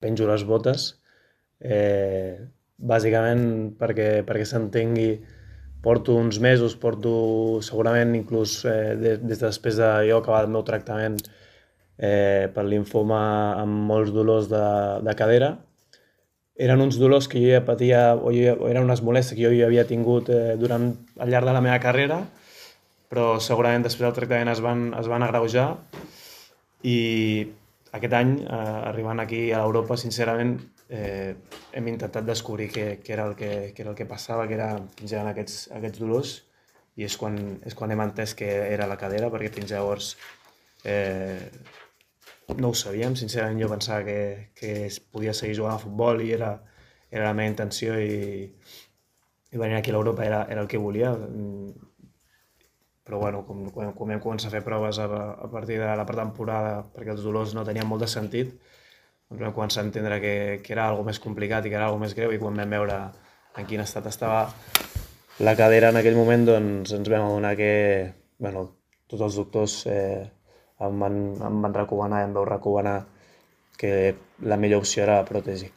penjo les botes, bàsicament perquè s'entengui, porto uns mesos, segurament inclús des de després de jo acabar el meu tractament per linfoma amb molts dolors de cadera. Eren uns dolors que jo ja patia, o eren unes molèsties que jo ja havia tingut al llarg de la meva carrera, però segurament després del tractament es van agreujar i aquest any, arribant aquí a Europa, sincerament, hem intentat descobrir què era el que passava, quins eren aquests dolors, i és quan hem entès que era la cadera, perquè fins llavors no ho sabíem. Sincerament, jo pensava que es podia seguir jugant a futbol i era la meva intenció, i venir aquí a l'Europa era el que volia. Però bueno, quan vam començar a fer proves a partir de la pretemporada, perquè els dolors no tenien molt de sentit, doncs vam començar a entendre que era algo més complicat i que era algo més greu, i quan vam veure en quin estat estava la cadera en aquell moment, doncs ens vam adonar que, bueno, tots els doctors em van recomanar, em vau recomanar que la millor opció era la pròtesi.